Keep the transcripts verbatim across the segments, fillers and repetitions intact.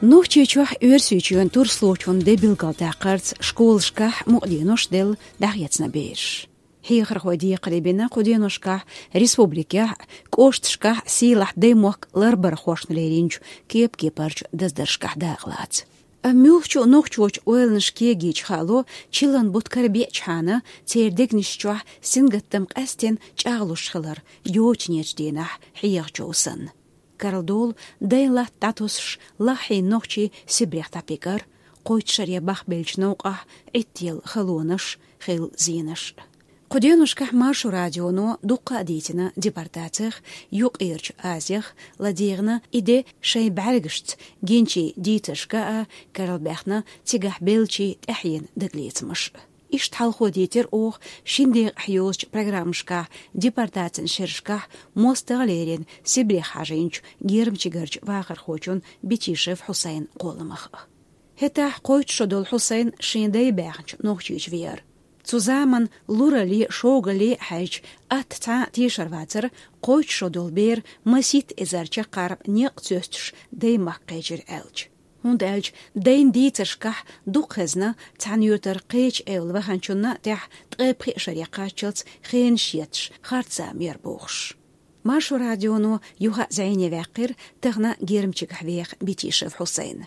Нохчийчохь Оьрсийчоьнан турслучун де билгалдаккхарца школашкахь мукъаденош делла дӀахецна бераш. Хьехархой декхаре бина кху деношкахь республикехь а, кӀошташкахь а сийлахь даймохк ларбархошна леринчу кеп-кепарчу даздаршкахь дакъалаца. Амма муьлххачу нохчочу ойланаш кегийча хаало, чиллан бутт карабеачхьана, церан дегнаш чохь сингаттам къаьстина чӀагӀлуш хилар, йочанечу дийнахь хьехачо санна. Карладолу дайн латта дӀатосуш лаххьийна нохчий Сибрех дӀапигар, кхойтта шаре бахбеллачу новкъахь Ӏиттаелла халонаш, хилла зенаш. Кху деношкахь Маршо радионо дуккха а дийцина депортацих, Юккъерчу Азих, ладегӀна и де шайн бӀаьргашца гинчийн дийцаршка а, карла баьхна цигахь беллачийн тӀаьхьенан дагалецамаш. Иштта хьалхо дийцира оха шина декъахь йолчу программашкахь, депортацин шерашкахь мостагӀа лерина Сибрех хьажийначу гермчигарчу вахархочун Битишев Хьусайнан кхолламах. ХӀетахь кхойтта шо долу Хьусайн шен дай баьхначу Нохчийчу веара. Цу заманан луралле, шогалле а хьаьжча, атта цхьа а тешар вацара, кхойтта шо долу бер масийтта эзар чаккхарма некъ цоьстуш даймахка кхечира аьлча. ХӀунда аьлча дайн дийцаршкахь дукха хезна цхьана йоьтара кхечу эвла ваханчунна а тӀехь ткъе пхи шаре кхаччалц хенаш етташ харц зама яра бохуш. Маршо радионо юха а зӀене ваьккхира тахана гермчигахь веха Битишев Хьусайна.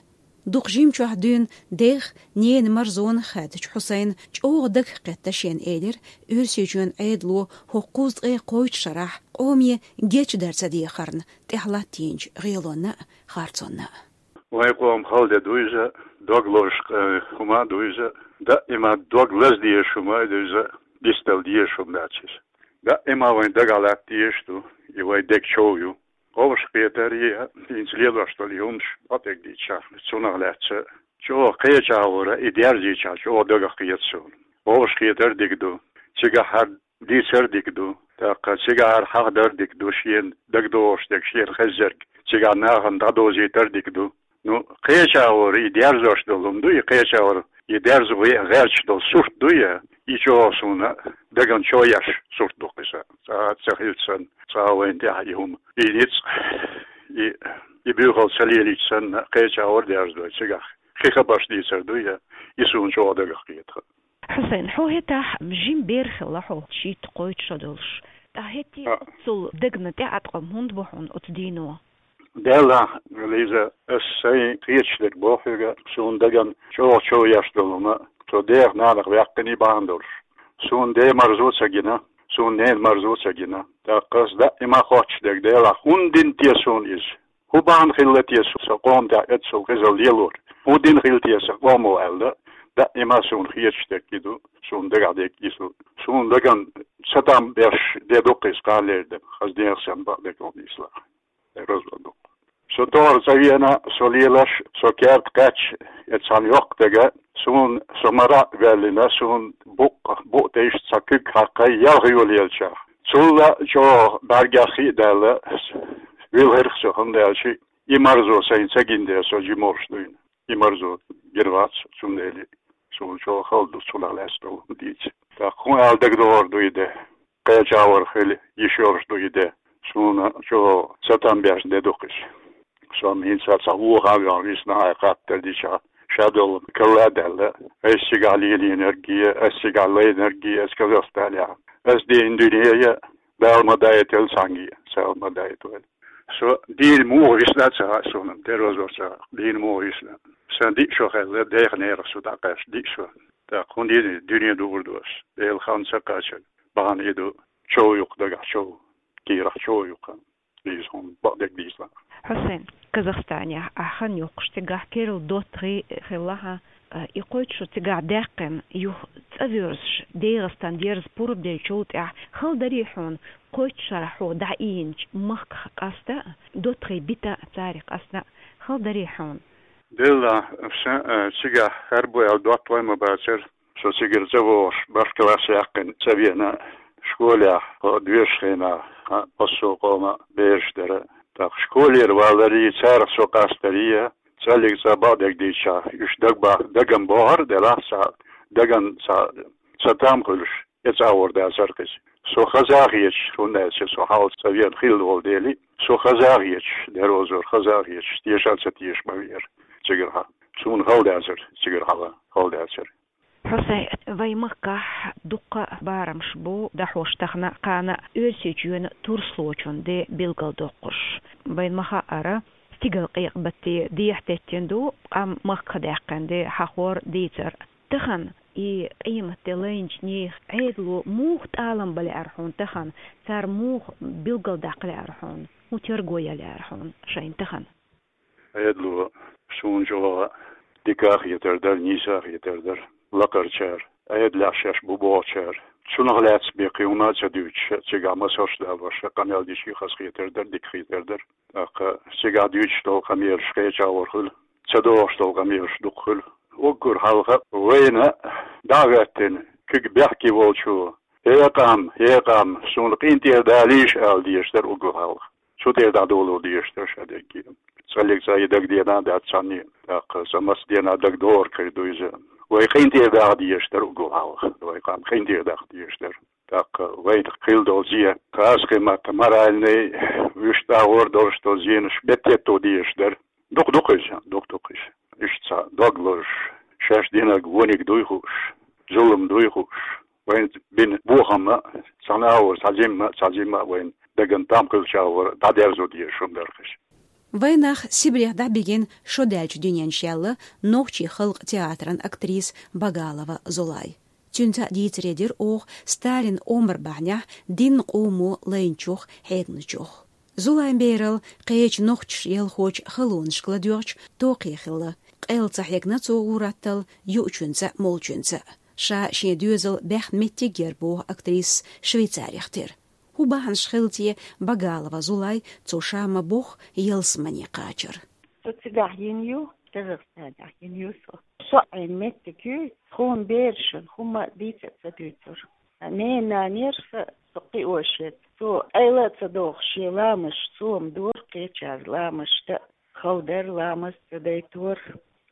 Дукха жимчохь дуьйна дех, ненан марзонах хаьттачу Хьусайна чӀогӀа дагах кхетта шена элира, Оьрсийчоьнан Ӏедало хӀокху кхузткъе кхойтта шарахь къоме гечдар ца дехарна тӀехь латтийначу гӀелонна а, харцонна а. Вайн къоман хала де ду иза, дог лозуш, э, хӀума а ду иза, даима дог лаза дезаш хӀума а ду иза, дицдала дезаш хӀума дац иза. Даима вайн дагахь латта дезаш ду, и вайн дег чов ю. Вовшахкхетар а, хӀинца лелош долу и хӀуманаш бакъдерг дийцича, цунах лаьцна чӀогӀа кхечу агӀора и дерзийча чӀогӀа дагах кхета суна. Вовшахкхетар а дика ду, цигахь хӀара дийцар а дика ду, тӀаккха цигахь хӀара хьахадар а дика ду, шена дагадогӀуш дерг, шена хезнарг цигахь нахана дӀадовзийтар а дика ду. Ну, кхечу агӀора и дерзош долу хӀума ду, и кхечу агӀора и дерзо ве а гӀерташ долу сурт ду я, и чӀогӀа суна дагна чов еш сурт ду-кх иза. Цкъа а ца хилча санна, цкъа а вайна тӀехь и хӀума, и ницкъ, и, и буьйхал ца лелийча санна, кхечу агӀор дерзадой цигахь. Кхин хабарш дийцар ду я, и суна чӀогӀа дагах кхета. Хьусайн, хьо хӀетахь жима бер хилла хьо, шийтта-кхойтта шо долуш. ТӀаккха хӀетте а оццул дагна тӀеӀаткъам хӀунда бо хьуна оцу дийно? Делахь, Лиза, ас сайн кхеташ дерг боху хьоьга, суна дагна чӀогӀа чов еш долу хӀума, со дех-нанах ваьккхина и бахьана долуш. Суна ден марзо а ца гина, суна ненан марзо а ца гина. ТӀаккха ас даима хоттуш дерг, Делахь, хӀунда дина те суна иза? ХӀун бахьана хилла те со, со къоман тӀехь эццул хезал лелор? ХӀун дина хилла те сан къомо аьлла, даима суна хеташ дерг и ду, суна дагахь дерг иза ду. Суна дагна сатам беш де ду-кх иза, кхана лерина, хаза нехан санна бакъдерг хӀума нийслахь. Э, развод ду-кх. Со товр ца вена, со лелаш, со керта кхаьчча, я цхьана йоккха дага, суна со мара а ваьллина, суна букъ, букъ тӀе иштта цхьа куьг хьаькхна, ялх йолаелча. Цул а чӀогӀа бӀаьргех хи а даьлла, вилхира-кх со, хӀунда аьлча и марзо сайна ца гина дела, со жима волуш дуьйна. И марзо гина вац, цундела суна чӀогӀа хала ду цунах лаьцна долу дийца. ТӀаккха хӀун ала дагадогӀур ду и де? Кхечу агӀор хила йиш йолуш ду и де. Суна чӀогӀа сатам беш де ду-кх иза. Со-м хӀинца цхьа вуха а ваьхна висна, хьайн хаттар дича, ша долу карла а даьлла, ас цигахь лелийнарг а, ас цигахь лайнарг а, ас Казахстанехь. Ас дийна дуьне а, Дала ма дайтийла цхьаьнгге, Дала ма дайтийла. Со дийна муха висна а ца хаьа суна, дерозор ца хаьа, дийна муха висна. Сан диъ шо хилла, дех-ненах со дӀакхаьчча диъ шо. ТӀаккха хӀун дийна, дуьне дуур ду ас, Делан хан ца кхачарна. Бахьана и ду, чов ю-кх дагахь чов, кийрахь чов ю-кх, Лиза, хӀума бакъдерг дийцахь. Хьусайн, Казахстанехь ахь хан йоккхуш, цигахь керла доттагӀий хилла хьан, а, и кхойтта шо цигахь даьккхина, юха цӀа воьрзуш, ДегӀастан дерза пурба деллачул тӀаьхьа, хала дарий хьуна, кхойтта шарахь хьо дӀаийначу махках къаста а, доттагӀий бита а, царах къаста а, хала дарий хьуна? Делла, сан, а, цигахь хӀара бу аьлла доттагӀий ма бацара. Со цигара цӀа вогӀуш, бархӀ класс яьккхина цӀа вена, школехь, хӀо доьшучу хенахь, хьан, массо а къоман бераш дара. ТӀаккха школера валарий, царах со къастарий, цӀаллиг цӀа бакъдерг дийцича, уьш дагба-, дагам бохура делахь, цхьа даган цхьа сатам хуьлуш, эцӀагӀор дацара-кх иза. Со хаза а хеташ, хӀунда аьлча со хьалха цӀа вена хилла волу дела, со хаза а хеташ, дерозор хаза а хеташ, тешал ца тешаш ма веара. цигара хьалха. Суна хала дацар цигара хьалха, хала дацар. Хьусайн, вай махкахь дуккха а барамаш бу дӀахьош тахана, кхана Оьрсийчоьнан турслочун де билгалдоккхуш. Вайна ма хаъара, стигалкъекъа батте дехьа теттина ду къам махках даьккхина де хьахор, дийцар. Тахана и къематде лайначу нехан Ӏедало муха тӀалам бан лаьара хьуна тахана, цара муха билгалдаккха лаьара хьуна, хӀун терго ян лаьара хьуна шайна тахана? Ӏедало суна чӀогӀа дика а хетар дара, нийса а хетар дара. Лакхарчара, Ӏедалехь шаьш бу бохучара, цунах лаьцна бен кхин хӀума а ца дуьйцуш, цигахь массо а шо далош, къамел дича хаза хетар дара, дика хетар дара. ТӀаккха цигахь дуьйцуш долу къамелаш кхечахьа хуьлу, ца догӀуш долу къамелаш дукха хуьлу. Уггар хьалха вайна дӀа а хӀоьттина, куьг бехке волчо: «ХӀей къам, хӀей къам, суна къинтӀера далийша», — ала дезаш дара уггар хьалха. Цу тӀера дӀадоло дезаш дара ша дерриге. ЦӀаллиг цӀа и дагадеана а дац цхьанне, тӀаккха цкъа массадена дагадогӀург хир ду иза. Вай къинтӀера даха дезаш дара уггар хьалха. Вай къам къинтӀера даха дезаш дара. ТӀаккха вайна хилла долу зен, хаза кхин матта, моральный, вуьшта агӀор долуш долу зенаш беттетто дезаш дара. Дукха ду-кх иза, дукха ду-кх иза. Иштта цхьа дог лозуш, шаьш динарг вониг дуй хууш, зулам дуй хууш, вайна бина бохам а, цхьана агӀор цхьа зима а, цхьа зима а вайна дагна там хилча, агӀор дӀадерзо дезаш хӀума дара-кх иза. Вайн нах Сибрех дӀабигина шо даьллачу дуьнен шелла нохчийн халкъан театран актриса Багалова Зулай. Цуьнца а дийцаре дира оха Сталинан омра бахьанехь динна къомо лайначух, хьегначух. Зулайн бералла кхечу нохчаша ялхочу халонашка ладоьгӀча токхе хилла. Къелла ца хьегна цо гӀураттал юучуьнца а, молучуьнца а. Ша шен доьзал баьхна меттиг яра боху актрисас Швейцарех тера. ХӀун бахьанаш хилла те Багалова Зулай цо ша ма-бохху ялсамане кхачар? Со цигахь йина ю, Казахстанехь йина ю со. Со Ӏийна меттиг ю, тхуна берашна хӀумма а дийца а ца дуьйцура. Ненан нанера сан со кхиош яц. Цо Ӏела а ца дохуш, шен ламазаш цо-м дора, кхечара ламазаш дан а хала дара, ламаз ца дайтора,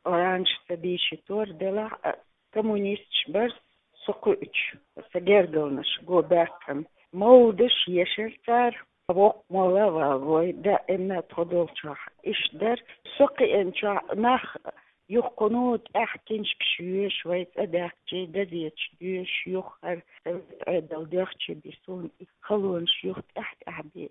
Къуръанаш ца дийшийтора, делахь а коммунисташ бара со кхуьучу, сан гергарнаш го баьккхина. Мовлидаш ешара цара, воккха молла а вала вой, даимна тхо долчохь иштта дара. Со кхиъначохь нах юха кхуьнан тӀаьхьа киншкаш йоьшу, вай цӀа даьхкича газеташ доьшу, юха хӀара совет Ӏедал доьхкича бен суна и халонаш юха тӀаьхьа-тӀаьхьа бен.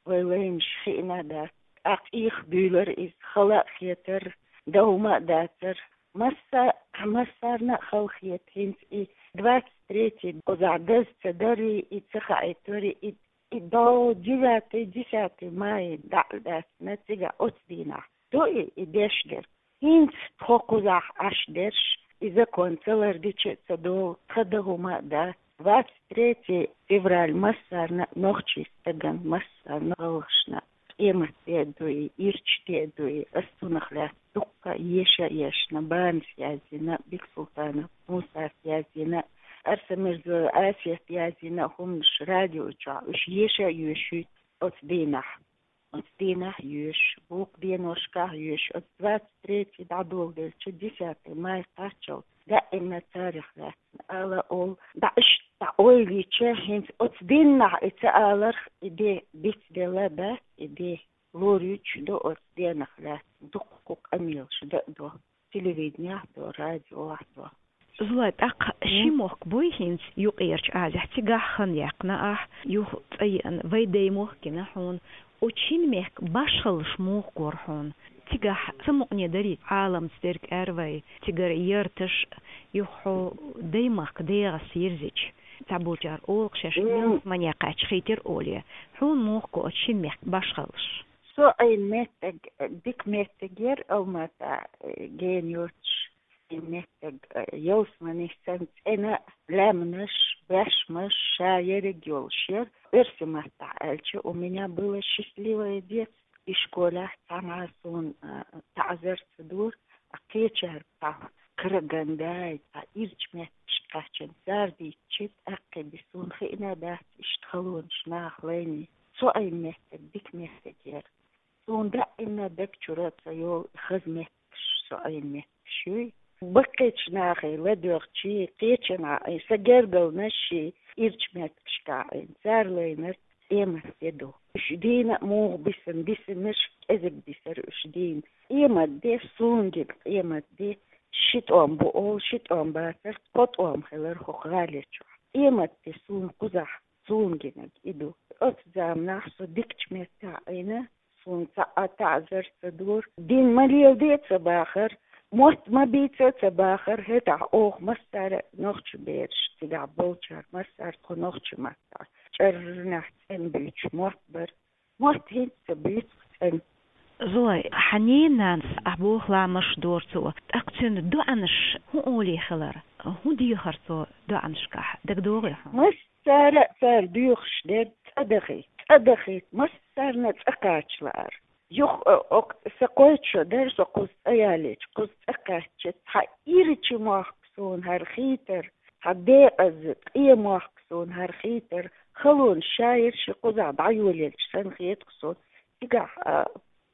Вай лайнаш хиъна а дац. ТӀаккха ийх буьйлар иза, хала а хетар, дан хӀума а дацар. Масса-, массарна а хала хета хӀинца и двадцать третий, кхузахь даза ца дарий, и ца хаийтарий, и, и до девятый, десятый мая дӀа а лаьцна цигахь оцу дийнахь. Ду и, и деш дерг. ХӀинца тхо кхузахь Ӏаш дерш, и закон ца лардича а ца долу, тхан дан хӀума а дац. Двадцать третье февраль массарна а, нохчийн стагана массарна а, гӀалгӀашна а къематде а ду и, ирчаде а ду и. Ас цунах лаьцна дуккха а еша а ешна, Банас язйина, Бексултанов Мусас язйина, Арсамирзоева Асет язйина хӀуманаш радио чохь, уьш еша а йоьшуьйту оцу дийнахь. Оцу дийнахь йоьшу, букъ деношкахь йоьшу, оцу двадцать третий дӀадоладелча, десятый май кхаччалц даимна царах лаьцна ала олу. ДӀа иштта дӀа ойла йича, хӀинца оцу дийнахь и ца аларх, и де бицделла дац, и де лоруьйтуш ду оцу денах лаьцна, дуккха къамелаш дан а до. Телевиденехь до, радиохь до. Зулай, тӀаккха ши мохк буй хӀинца Юккъерчу Азехь, цигахь хан яьккхина ахь, юха цӀа еана, вай даймохк гина хьуна. Оцу шина мехкан башхаллаш муха гора хьуна? Цигахь самукъане дарий Ӏаламца дерг аьлла вай, цигара ярташ, юха хьо даймахка дегӀаца йирзича, цхьаболчара олу-кх шаьш ялсамане кхаьчча хийтира олий. Хьуна муха го оцу шина мехкан башхаллаш? Со Ӏийна меттиг, дика меттиг яра Алмата, э, гена йоцуш. Ӏийна меттиг, э, ялсамане санна цӀена а, лаьмнаш, баьшмаш, ша ерриг йолуш яра. Оьрсийн маттахь аьлча, у меня было счастливое детство. И школехь цхьамма суна, э, таӀзар ца дора, а кхечара цхьа караганда, цхьа ирча меттигаш кхаьчна, цара дийцича, тӀаккха бен суна хиъна а дац иштта халонаш наха лайний. Со Ӏийна меттиг дика меттиг яра. Суна даимна даг чуьра ца йолу хаза меттигаш, со Ӏийна меттигаш юй. Баккхийчу нахе ладоьгӀчий, кхечанхьа, сан гергарлонаш ший ирча меттигашкахь Ӏийна, цара лайнарг къематде ду. Уж дийна а муха бисина, бисинарш кӀезига бисар уж дийна. Къематди, суна гина къематди, ши тӀом бу олу, ши тӀом бацар, тхо тӀом хилар хӀокху гӀали чохь. Къематди суна кхузахь, суна гинарг и ду. Оцу заманахь со дикачу меттехь Ӏийна, суна цхьа а таӀзар ца дора. Дин ма леладе а ца бахар, мотт ма бийца а ца бахар, хӀетахь оха массара а нохча бераш, цигахь болчара массара а тхо нохча маттахь, чӀарнехь цӀена буьйцуш мотт бара. Мотт хӀинца ца буьйцу цӀена. Зоя, хьан ненан нанас ахь боху ламазаш дора цо, тӀаккха цуьнан доӀанаш хӀун олий хилар? ХӀун дехар цо доӀанашкахь? ДагадогӀий хьуна? Массара а цара доьхуш дерг цӀа дахийта, цӀа дахийта, массарна а цӀа кхача лаар. Юха, э, оцу сан кхойтта шо дара, со кхуза цӀа ялийча, кхуза цӀа кхаьчча, цхьа ирча мохк суна хӀара хийтар, цхьа декъаза къен мохк суна хӀара хийтар, халонаш шаерш и кхузахь дӀайолаелча санна хета-кх суна. Цигахь, а,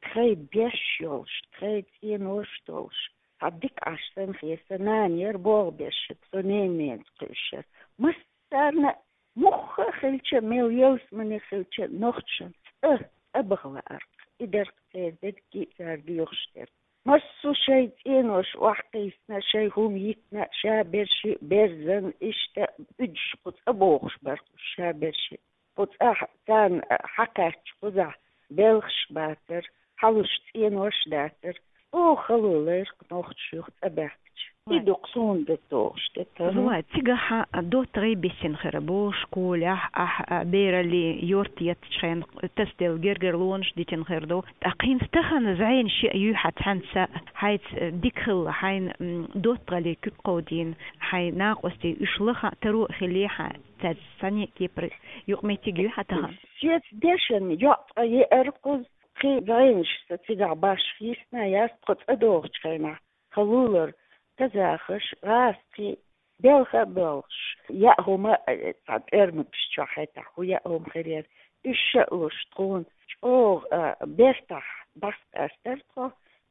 тхайн беш йолуш, тхайн цӀенош долуш, цхьа дика Ӏаш санна хета. Сан нана яра болх беш, со ненанца кхуьуш яра. Массарна а, муха а хилча, мел ялсамане хилча, нохчашна цӀа, цӀа баха лаар-кх. И дара-кх церан дерриге а цара доьхуш дерг. Массо а шайн цӀенош охьакхийсина, шайн хӀума йитина, шаберш а берзан, иштта уьдуш кху цӀа бохуш бара-кх уьш шаберш а. Кху цӀахь царна хьакхаьчча кхузахь белхаш бацара, хьалуш цӀенош дацара. Оха хало лайра-кх нохчаша юха цӀа баьхкича. И ду-кх суна дагадогӀуш дерг. Зоя, цигахь доттагӀий бисина хир бу школехь, ахь, а, бераллин йорт еттачу хенахь тасаделла гергарлонаш дитина хир ду. ТӀаккха хӀинца тахана зӀенаш а юй хьан цхьаьнца, хьайца дика хилла, хьайна, м, доттагӀаллин куьг кховдийна, хьайн накъостий уьш лаха а, таро а хилий хьан, цаьрца цхьана а кепара юкъаметтиг юй хьан тахана? Соьца дешан йоӀ ткъа еара кхуза, кхин зӀенаш сан цигахь башха йисна яц, тхо цӀа догӀучу хенахь. Халулара, казахаш, гӀазкхий, белха а боьлхуш, яа хӀума, э, цхьа тӀоьрмигаш чохь хӀетахь хӀун яа хӀума хир яра, уьш а луш тхуна чӀогӀа, а, бертахь дӀасакъаьстара тхо,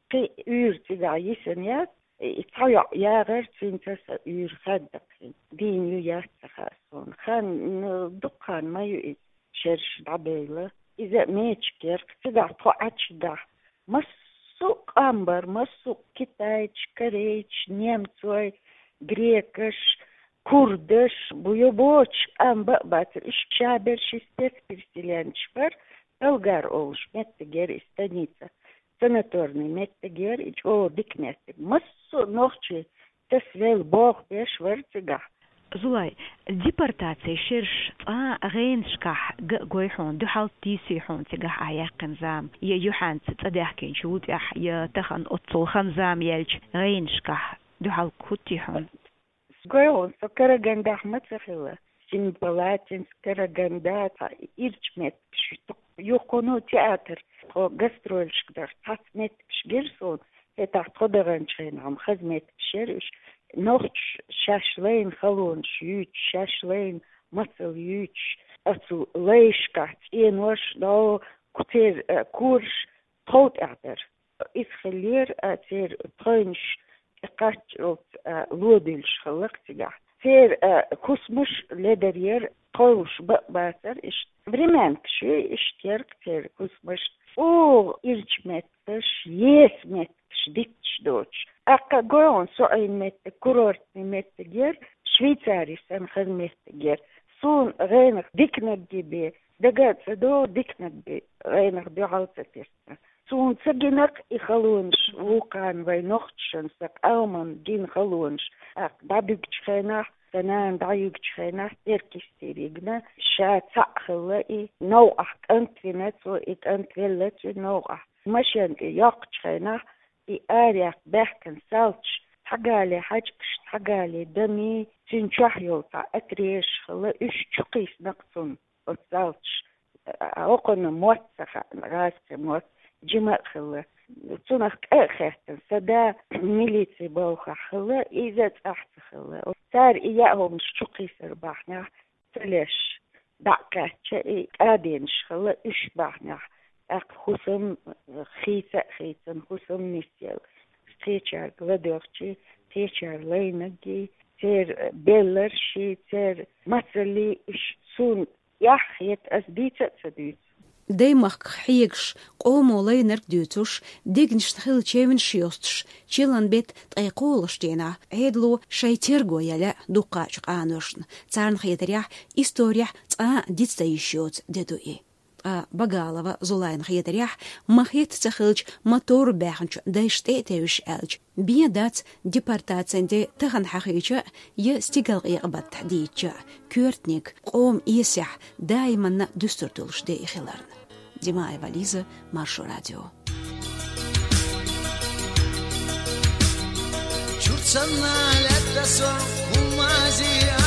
кхин уьйр цигахь йисина яц, и цхьа йоӀ ягӀара, цуьнца сан уьйр хаьдда кхин. Дийна ю, яц ца хаьа суна. Хан, ну, дукха хан ма ю иза, шераш дӀабевлла. Иза а мечигерг, цигахь тхо Ӏачу дахь, массо а къам бара, массо а китайцаш, корейцаш, немцой, грекаш, курдаш, буйо бочу къам бан а бацара. Уьш шаберш и спецпереселенцаш бара, Талгар олуш меттиг яра и станица, санаторный меттиг яра и, чӀогӀа дика меттиг. Массо а нохчий тасавелла болх беш вара цигахь. Зоя, депортацин шераш цкъа а гӀенашкахь ган а гой хьуна, дуьхьал тийсий хьуна цигахь ахь яьккхина зама, я юьхьанца цӀа даьхкинчул тӀаьхьа, я тахана оццул хан-зама яьлча гӀенашкахь дуьхьал хӀуттий хьуна? Гой хьуна, со Карагандахь ма ца хилла. Семипалатинск, Караганда, цхьа ирча меттигаш, юха кхунна театр, тхо гастролашка дара, цхьацца меттигаш гира суна. ХӀетахь тхо даханчу хенахь-м хаза меттигаш яра уьш. Нохчаша шаьш лайна халонаш юьйцуш, шаьш лайна мацалла юьйцуш, оцу лайшкахь цӀенош, дӀо, кху церан, э, кораш тхов тӀехь дара. Иза хиллера, а, церан тхойнаш тӀекхаччалц, а, лодуьйлуш хилла-кх цигахь. Церан, а, хӀусамаш ледар яра, тховш бан а бацара иштта. Времянкаш ю иштта яра-кх церан хӀусамаш. ЧӀогӀа ирча меттигаш, еса меттигаш дитташ доцуш. ТӀаккха гой хьуна, со Ӏийна меттиг курортный меттиг яра, Швейцари санна хаза меттиг яра. Суна гӀенах диканарг бен дага а ца догӀу, диканарг бен гӀенах дуьхьал ца тесна. Суна ца гина-кх и халонаш, вукхарна вай нохчашна, сан къоман гина халонаш. ТӀаккха дӀабуьгучу хенахь, сан нана дӀаюьгучу хенахь, Теркйистера йигна, ша цхьаъ хилла и, новкъахь кӀант вина цо, и кӀант велла цуьнан новкъахь. Машен тӀе йоккхучу хенахь, и арахь баьхкина салташ, цхьа гали хьаьжкӀаш, цхьа гали дами, цуьнан чохь йолу цхьа отрезаш хилла, уьш чукхийсина-кх цунна. Оцу салташа, а, хӀокхунна мотт ца хаьа, гӀазкхийн мотт, жима а хилла. Цунах кӀа а хеттина, сан да милицин балхахь хилла, иза цӀахь ца хилла. Цара и яа хӀуманаш чукхийсар бахьанехь, ца леш, дӀа а кхаьчча, и кӀаденаш хилла, уьш бахьанехь, тӀаккха хӀусам хийца а хийцина, хӀусам нисъелла. Кхечаьрга ладоьгӀчий, кхечара лайнарггий, церан белларший, церан мацаллий, уьш суна эхь хета, ас дийца а ца дуьйцу. даймахках хьегаш, къомо лайнарг дуьйцуш, дегнашна хилла чевнаш йостуш, чиллан бетта ткъе кхоалгӀачу дийнахь Ӏедало шайн терго яьлла дуккхачу къаношна. Царна хетарехь, исторехь цкъа а диц дан йиш йоцу де ду и. Ткъа Багалова Зулайна хетарехь, ма хетта ца хилча, ма товр баьхначу дайшна тӀе а тевжаш аьлча, бен дац депортацин де тахана хьахийча а, я стигалкъекъа баттахь дийцча а, коьртаниг, къоман эсехь даиманна дуьстур долуш де и хиларна. Димаева Лиза, Маршо радио. Чурт санна лаьтта со, хӀумма зе